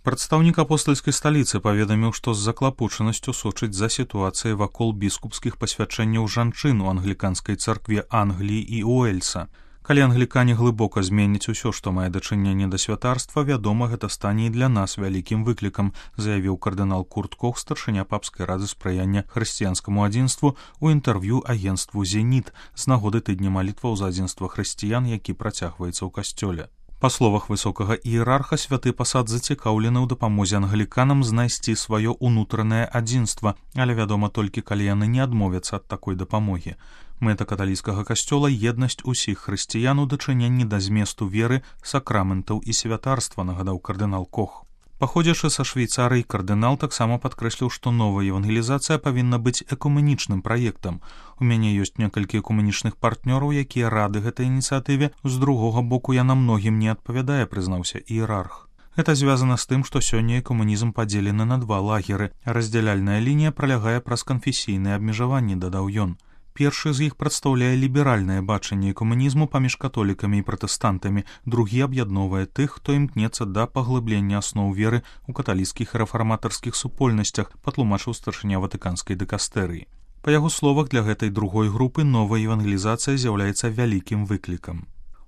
Прадстаўнік апостальскай сталіцы паведаміў, што з заклапочанасцю сочыць за сітуацыяй вакол біскупскіх пасвячэнняў жанчын у англіканскай царкве Англіі і Уэльса. Калі англікане глыбока зменяць усё, што мае дачыненне да святарства, вядома, гэта стане і для нас вялікім выклікам, заявіў кардынал Курт Кох, старшыня папскай рады спрыяння хрысціянскаму адзінству ў інтэрв'ю агенцтву «Зеніт» з нагоды тыдня малітваў за адзінства хрысціян, які працягваецца ў касцёле. Па словах высокага іерарха, святы пасад зацікаўлены ў дапамозе англіканам знайсці сваё ўнутранае адзінства, але вядома толькі, калі яны не адмовяцца ад такой дапамогі. Мэта каталіцкага касцёла — еднасць усіх хрысціян у дачыненні да зместу веры, сакраментаў і святарства, нагадаў кардынал Кох. Паходзячы са Швейцарыі, кардынал таксама падкрэсліў, што новая евангелізацыя павінна быць экуменічным праектам. У мяне ёсць некалькі экуменічных партнёраў, якія рады гэтай ініцыятыве. З другога боку, яна многім не адпавядае, прызнаўся іерарх. Гэта звязана з тым, што сёння экуменізм падзелены на два лагеры. Раздзяляльная лінія пралягае праз канфесійныя абмежаванні, дадаў ён. Першы з іх прадстаўляе ліберальнае бачанне экуменізму паміж католікамі і пратэстантамі, другі аб'ядноўвае тых, хто імкнецца да паглыблення асноў веры ў каталіцкіх і рэфарматарскіх супольнасцях, патлумачыў старшыня ватыканскай дыкастэрыі. Па яго словах, для гэтай другой групы новая евангелізацыя з'яўляецца вялікім выклікам.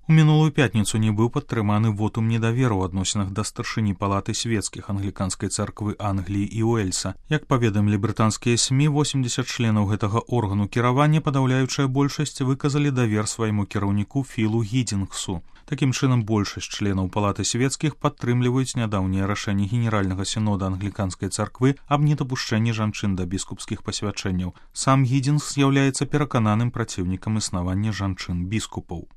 У мінулую пятніцу не быў падтрыманы вотум недаверу ў адносінах да старшыні палаты свецкіх англіканскай царквы Англіі і Уэльса. Як паведамілі брытанскія СМІ, 80 членаў гэтага органу кіравання, падаўляючая большасць, выказалі давер свайму кіраўніку Філу Гідзінгсу. Такім чынам, большасць членаў палаты свецкіх падтрымліваюць нядаўняе рашэнне генеральнага сінода англіканскай царквы аб недапушчэнні жанчын да біскупскіх пасвячэнняў. Сам Гідзінгс з'яўляецца перакананым праціўнікам існавання жанчын-біскупаў.